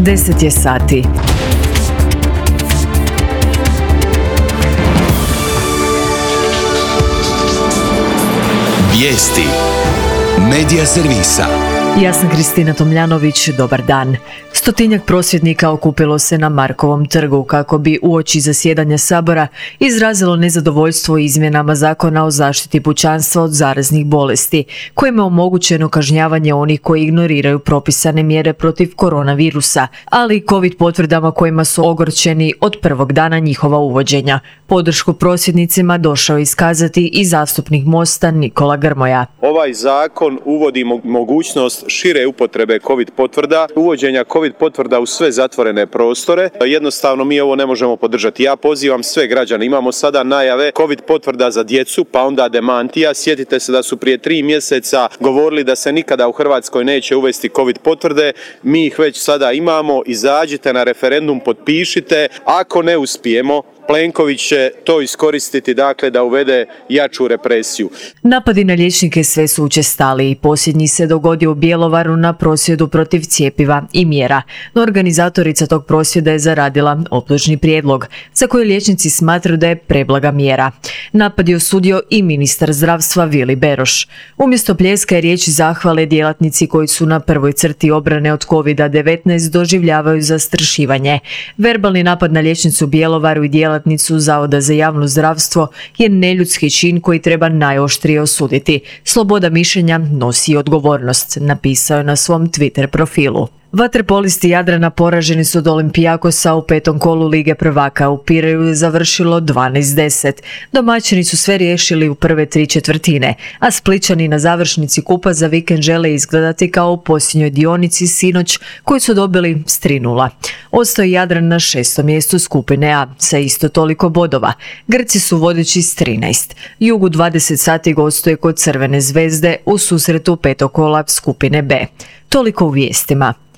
10 je sati. Vijesti Medija servisa. Ja sam Kristina Tomljanović, dobar dan. 100-tinjak prosvjednika okupilo se na Markovom trgu kako bi uoči zasjedanja Sabora izrazilo nezadovoljstvo izmjenama Zakona o zaštiti pučanstva od zaraznih bolesti, kojima je omogućeno kažnjavanje onih koji ignoriraju propisane mjere protiv koronavirusa, ali i COVID potvrdama kojima su ogorčeni od prvog dana njihova uvođenja. Podršku prosvjednicima došao je iskazati i zastupnik Mosta Nikola Grmoja. Ovaj zakon uvodi mogućnost šire upotrebe COVID potvrda, uvođenja COVID potvrda u sve zatvorene prostore. Jednostavno mi ovo ne možemo podržati. Ja pozivam sve građane, imamo sada najave COVID potvrda za djecu, pa onda demantija. Sjetite se da su prije 3 mjeseca govorili da se nikada u Hrvatskoj neće uvesti COVID potvrde. Mi ih već sada imamo, izađite na referendum, potpišite. Ako ne uspijemo, Plenković će to iskoristiti, dakle, da uvede jaču represiju. Napadi na liječnike sve su učestaliji. Posljednji se dogodio u Bjelovaru na prosvjedu protiv cjepiva i mjera. No organizatorica tog prosvjeda je zaradila optužni prijedlog, za koji liječnici smatraju da je preblaga mjera. Napad je osudio i ministar zdravstva Vili Beroš. Umjesto pljeska i riječi zahvale, djelatnici koji su na prvoj crti obrane od COVID-19 doživljavaju zastrašivanje. Verbalni napad na liječnicu u Bjelovaru i djelatnicu Zavoda za javno zdravstvo je neljudski čin koji treba najoštrije osuditi. Sloboda mišljenja nosi odgovornost, napisao je na svom Twitter profilu. Vaterpolisti Jadrana poraženi su od Olimpijakosa u 5. kolu Lige prvaka. U Pireju je završilo 12-10. Domaćini su sve riješili u prve 3/4, a Splićani na završnici kupa za vikend žele izgledati kao u posljednjoj dionici sinoć koji su dobili s 3:0. Ostao je Jadran na 6. mjestu skupine A sa isto toliko bodova. Grci su vodeći s 13. Jug u 20 sati gostuje kod Crvene zvezde u susretu 5. kola skupine B. Toliko u vijestima.